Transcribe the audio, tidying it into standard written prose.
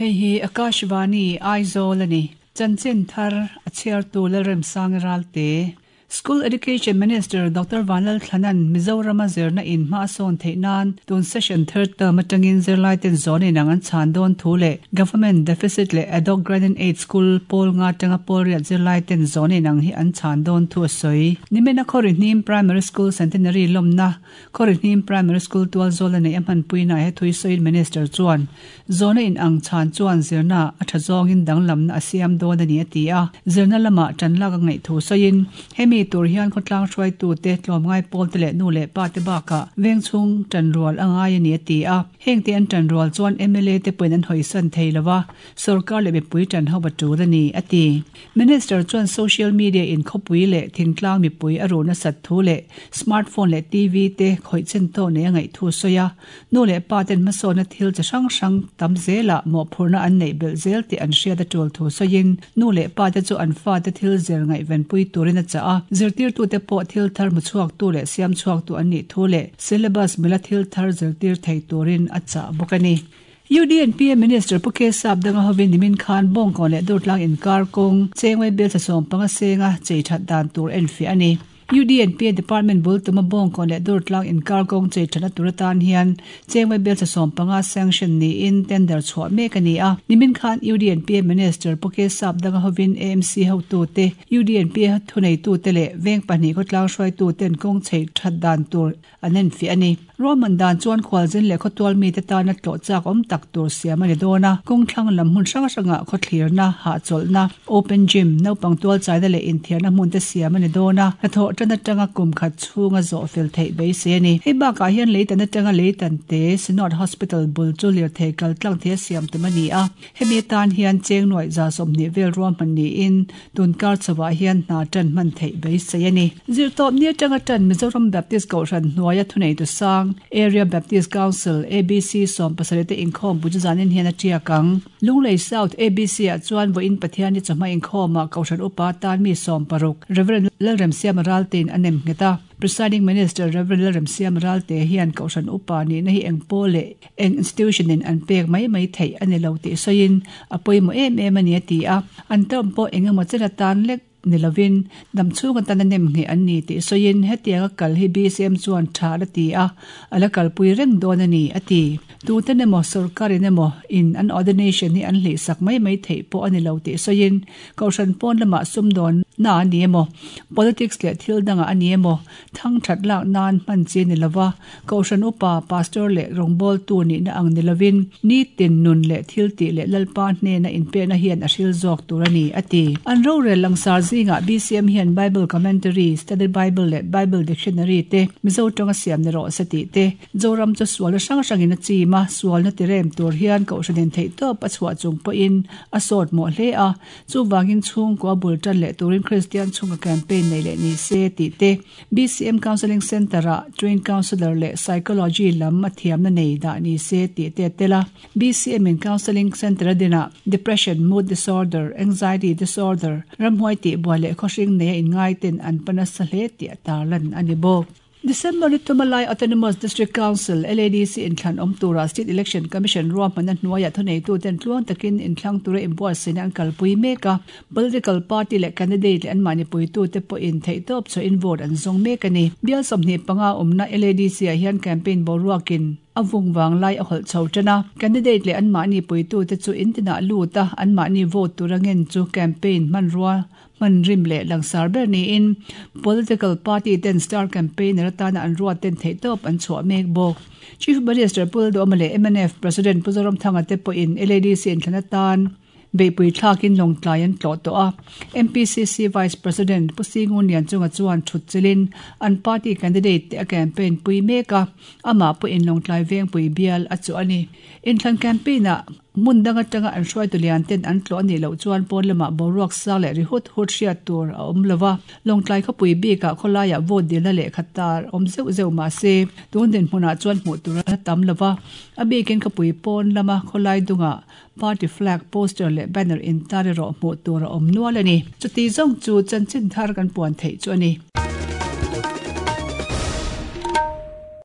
Hei hi Akashvani, Aizawl a ni. Chanchin thar a chhiartu Lalremsanga Ralte. School Education Minister Doctor Vanlal Thlanan Mizorama zirna in hma a sawn theih nan tun session third term atangin zirlaiten zawn inang an chhan dawn thu leh Government deficit leh ad hoc grant and aid school pawl nga atanga pawl riat zirlaiten zawn inang hi an chhan dawn thu a sawi. Nimina Khawrihnim Primary School Centenary lawmna Khawrihnim Primary School tual zawl a neih a hmanpuina he thui sawiin Minister chuan, Zawhna in ang chhan chuan zirna a tha zawngin danglamna a siam dawn a ni a ti a. Zirna lamah tan lak a ngaih thu sawiin, hemi tur hian khawtlang hruaitute, tlawmngai pawlte leh nu leh pate bakah vengchhung tanrual a ngai a ni a ti a. Hengte an tanrual chuan mla te pawhin an hawisan thei lo a, sorkar leh mipui tan ho a tul a ni a ti. Minister chuan social media in khawpui leh thingtlang mipui a ruh nasat thu leh smartphone leh TV te khawih chen tawh nei a ngaih thu a sawi a. Nu leh pa ten hmasawnna thil chi hrang hrang tam zelah mawhphurhna an neih belh zel tih an hriat a tul thu sawiin nu leh pa te chu an fate thil zir ngaihvenpui turin a chah a. Zirtirtute pawh thil thar hmuchhuaktu leh siamchhuaktu an nih thu leh syllabus mila thil thar zirtir thei turin a chah bawk a ni. UDNPA Minister Pu K Sap danga hovin nimin khan Bawngkawn leh Durtlang inkar kawng Chengwei bial thla 15 senga chei that dan tur enfiah a ni. UDNPA Department bul tuma Bawngkawn leh Durtlang inkar kawng chei thatna tur atan hian Chengwei bial thla 15 sanction niin tender chhuah mek a ni a. Nimin khan UDNPA Minister Pu K Sap danga hovin AMC hotute, UDNPA thuneitute leh veng pahnih khawtlang hruaituten kawng chei that dan tur An enfiah a ni. Ruahman dan chuan khualzin leh khawtual mite tana tlawh chak awm tak tur siam a ni dawn a, kawng thlang lam hmun hrang hrangah khawthlirna, hahchawlhna, open gym, naupang tualchaina leh inthiarna hmun te siam a ni dawn a, hnathawh tan atanga kum khat chhunga zawh fel theih beisei a ni. Hei bakah hian leitan atanga leitan te Synod Hospital bul chu lirthei kal tlang thei a siam tum a ni a, hemi atan hian cheng nuaih 20 vel ruahman niin Tun kar chauhah hian hna tan hman theih beisei a ni. Zirtawp ni atanga tan Mizoram Baptist Kohhran hnuaia thuneitu sang, Area Baptist Council, ABC, 17 te inkhawm bu chu zanin hian a tiak ang. Lunglei South ABC ah chuan vawiin Pathianni chawhma inkhawmah Kohhran upa tan mi 16, Rev. Lalremsiama Raltein a nem nghet a. Presiding Minister Rev. Lalremsiama Ralte hian Kohhran upa nihna hi eng pawl leh Eng institution in an pek mai mai theih a ni lo tih sawiin a pawimawh em em a ni a ti a, an term pawh eng emaw chen atan lek ni lovin dam chhung atan a nem ngheh an ni tih sawiin hetianga kal hi BCM chuan tha a la ti a, a la kalpui reng dawn a ni a ti. Tuten emaw sorkarin emaw in an ordination hi an hlihsak mai mai theih pawh a ni lo tih sawiin kohhran pawn lamah sumdawn na a ni emaw politics leh thil dangah a ni emaw Thang that lak nan hman chi ni lova, Kohhran upa, Pastor leh rawngbawltu nihna ang ni lovin, nitin nun leh thiltih leh Lalpa hnena inpekna hian a hril zawk tur a ni, a ti. An rorel langsar zingah BCM hian Bible Commentary, Study Bible leh Bible Dictionary te Mizo tawnga siam ni rawh se tih te, Zoram chu sualna hrang hrangin a chim a, sualna tirem tur hian Kohhranin theihtawp a chhuah chung pawhin a sawt mawh hle a, Chuvangin chhungkua bul tan leh turin Kristian chhunga campaign nei leh ni se tih te, BCM Counselling Centre-ah Trained Counsellor leh Psychology lam a thiamna nei dah ni se tih te a tel a. BCM in Counselling Centre a dinah Depression, Mood Disorder, Anxiety Disorder, ramhuai tihbuai leh khawhring neia inngaiten an pa nasa hle tih a tarlan a ni bawk. December ni tuma lai Autonomous District Council, LADC, inthlan awm tura State Election Commission ruahmanna hnuaiah thuneituten tluang takin inthlang tura inbuatsaihna an kalpui mek a, political party leh candidate leh anmahni puitute pawhin theihtawp chhuahin vote an zawng mek a ni. Bial 25 awmna LADC-ah hian campaign boruakin a vung vang lai a hawlh chho tan a, candidate leh anmahni puitute chu in tinah lut a, anmahni vote tura ngen chu campaign hmanrua Hman rim leh langsar ber niin political party ten star campaigner atana an ruat ten theihtawp an chhuah mek bawk. Chief Minister Pu Lalduhoma leh mnf President Pu Zoramthanga te pawhin LADC inthlan atan beihpui thlakin lawngtlai an tlawh tawh a. MPCC Vice President Pu Singun Lianchunga chuan thut chilhin an party candidate te a campaign pui mek a, amah pawhin lawngtlai vengpui bial a chuh a ni. Inthlan campaign ah Hmun dang atanga an hruaitu lian ten an tlawh a nih loh chuan pawn lamah boruak sang leh ri hut hut hriat tur a awm lo va. Lawngtlai khawpui bikah khawlaiah vote dilna lehkha tar awm zeuh zeuh mah se tun dinhmunah chuan hmuh tur a tam lo va. A bikin khawpui pawn lama khawlai dungah party flag, poster leh banner intar erawh hmuh tur a awm nual a ni. Chuti zawng chu chanchin thar kan puan theih chu a ni.